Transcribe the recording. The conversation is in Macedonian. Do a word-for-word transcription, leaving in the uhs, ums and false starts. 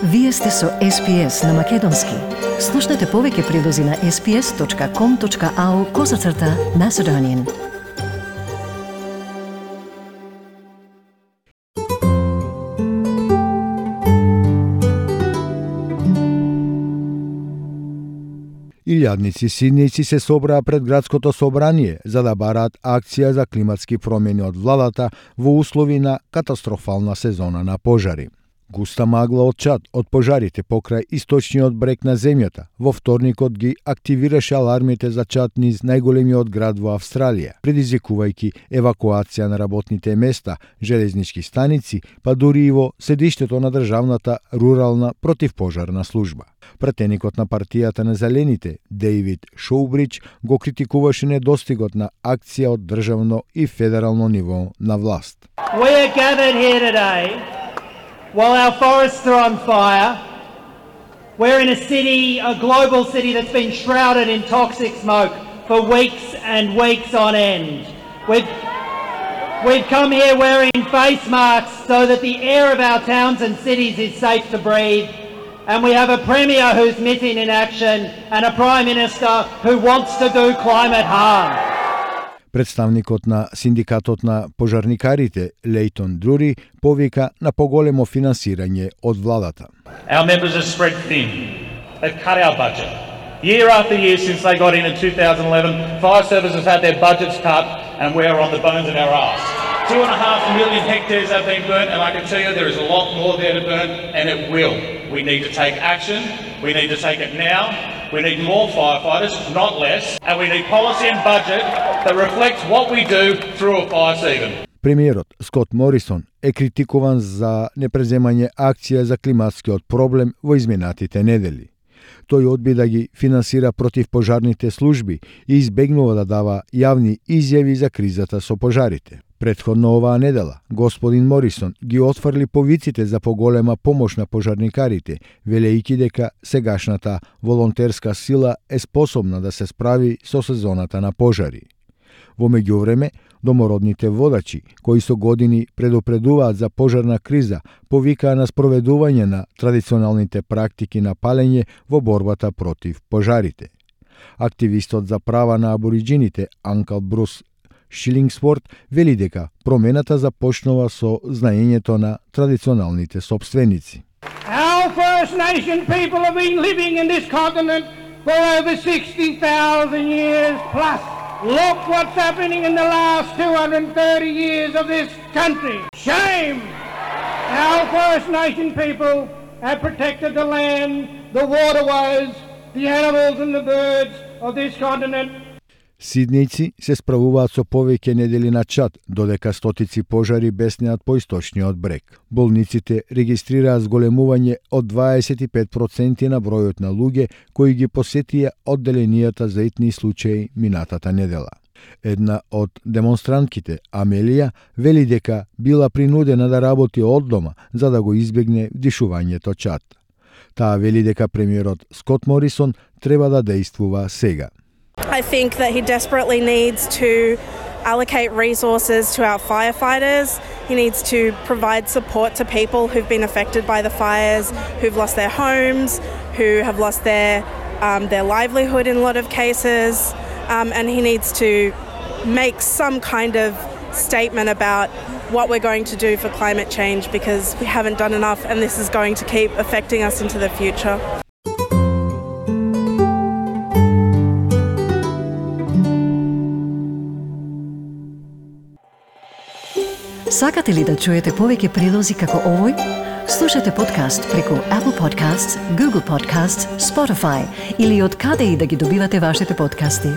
Вие сте со Ес Пи Ес на Македонски. Слушнете повеќе прилози на ес пи ес точка ком точка ау козацрта Macedonian. Илјадници сиднејци се собраа пред градското собрание за да бараат акција за климатски промени од владата во услови на катастрофална сезона на пожари. Густа магла од чад од пожарите покрај источниот брег на земјата во вторникот ги активираше алармите за чад низ најголемиот град во Австралија, предизвикувајќи евакуација на работните места, железнички станици, па дури и во седиштето на државната рурална противпожарна служба. Пратеникот на партијата на Зелените, Дейвид Шоубридж, го критикуваше недостигот на акција од државно и федерално ниво на власт. We are gathered here today while our forests are on fire. We're in a city, a global city that's been shrouded in toxic smoke for weeks and weeks on end. We've, we've come here wearing face masks so that the air of our towns and cities is safe to breathe. And we have a Premier who's missing in action and a Prime Minister who wants to do climate harm. Представникот на синдикатот на пожарникарите, Лейтон Друри, повика на поголемо финансирање од владата. Our members are spread thin. They've cut our budget. Year after year since they got in in two thousand eleven, fire services had their budgets cut and we're on the bones of our arse. Two and a half million hectares have been burnt, and I can tell you there is a lot more there to burn, and it will. We need to take action. We need to take it now. We need more firefighters, not less, and we need policy and budget that reflects what we do through a fire season. Премиерот Скот Морисон е критикуван за непреземање акција за климатскиот проблем во изминатите недели. Тој одби да ги финансира противпожарните служби и избегнува да дава јавни изјави за кризата со пожарите. Претходно оваа недела, господин Морисон ги отфрли повиците за поголема помош на пожарникарите, велејќи дека сегашната волонтерска сила е способна да се справи со сезоната на пожари. Во меѓувреме, домородните водачи, кои со години предупредуваат за пожарна криза, повикаа на спроведување на традиционалните практики на палење во борбата против пожарите. Активистот за права на абориджините Анкл Брус Шилингсворт вели дека промената започнува со знаењето на традиционалните собственици. Our First Nation people have been living in this continent for over sixty thousand years plus. Look what's happening in the last two hundred thirty years of this country. Shame! Our First Nation people have protected the land, the waterways, the animals and the birds of this continent. Сиднејци се справуваат со повеќе недели на чад, додека стотици пожари беснеат по источниот брег. Болниците регистрираат зголемување од дваесет и пет проценти на бројот на луѓе кои ги посетија одделенијата за итни случаи минатата недела. Една од демонстрантките, Амелија, вели дека била принудена да работи од дома за да го избегне вдишувањето чад. Таа вели дека премиерот Скот Морисон треба да дејствува сега. I think that he desperately needs to allocate resources to our firefighters. He needs to provide support to people who've been affected by the fires, who've lost their homes, who have lost their um, their livelihood in a lot of cases, um, and he needs to make some kind of statement about what we're going to do for climate change, because we haven't done enough, and this is going to keep affecting us into the future. Сакате ли да чуете повеќе прилози како овој? Слушате подкаст преку Apple Podcasts, Google Podcasts, Spotify или од каде и да ги добивате вашите подкасти.